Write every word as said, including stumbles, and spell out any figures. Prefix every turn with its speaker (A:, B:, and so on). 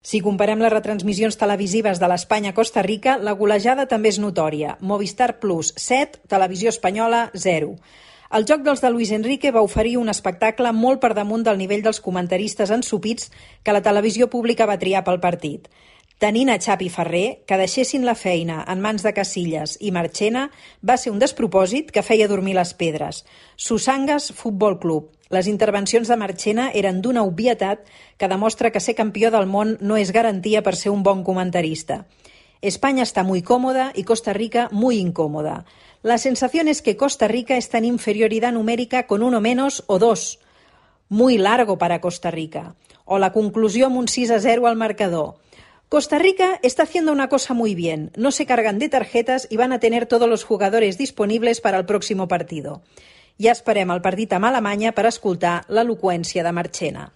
A: Si comparem les retransmissions televisives de l'Espanya-Costa Rica, la golejada també és notòria. Movistar Plus, set, Televisió Espanyola, zero. El joc dels de Luis Enrique va oferir un espectacle molt per damunt del nivell dels comentaristes ensopits que la televisió pública va triar pel partit. Tenint a Xavi Ferrer, que deixessin la feina en mans de Casillas i Marchena va ser un despropòsit que feia dormir les pedres. Susangas Futbol Club. Les intervencions de Marchena eren d'una obvietat que demostra que ser campió del món no és garantia per ser un bon comentarista. España está muy cómoda y Costa Rica muy incómoda. La sensación es que Costa Rica está en inferioridad numérica con uno menos o dos. Muy largo para Costa Rica. O la conclusió amb un sis a zero al marcador. Costa Rica está haciendo una cosa muy bien. No se cargan de tarjetas y van a tener todos los jugadores disponibles para el próximo partido. Ja esperem el partit amb Alemanya per escoltar l'eloqüència de Marchena.